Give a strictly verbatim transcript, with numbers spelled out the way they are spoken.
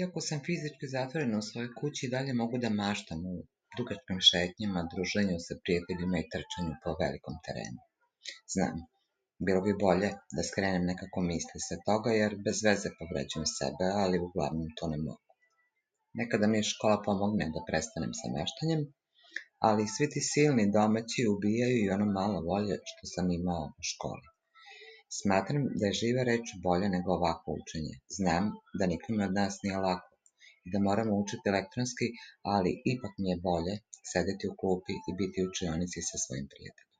Iako sam fizički zatvorena u svojoj kući, i dalje mogu da maštam o dugačkim šetnjama, druženju sa prijateljima i trčanju po velikom terenu. Znam, bilo bi bolje da skrenem nekako misli sa toga, jer bez veze povređujem sebe, ali uglavnom to ne mogu. Nekada mi škola pomogne da prestanem sa meštanjem, ali svi ti silni domaći ubijaju i ono malo volje što sam imao u školi. Smatram da je živa reč bolje nego ovako učenje. Znam da nikome od nas nije lako i da moramo učiti elektronski, ali ipak mi je bolje sedeti u klupi i biti u učionici sa svojim prijateljima.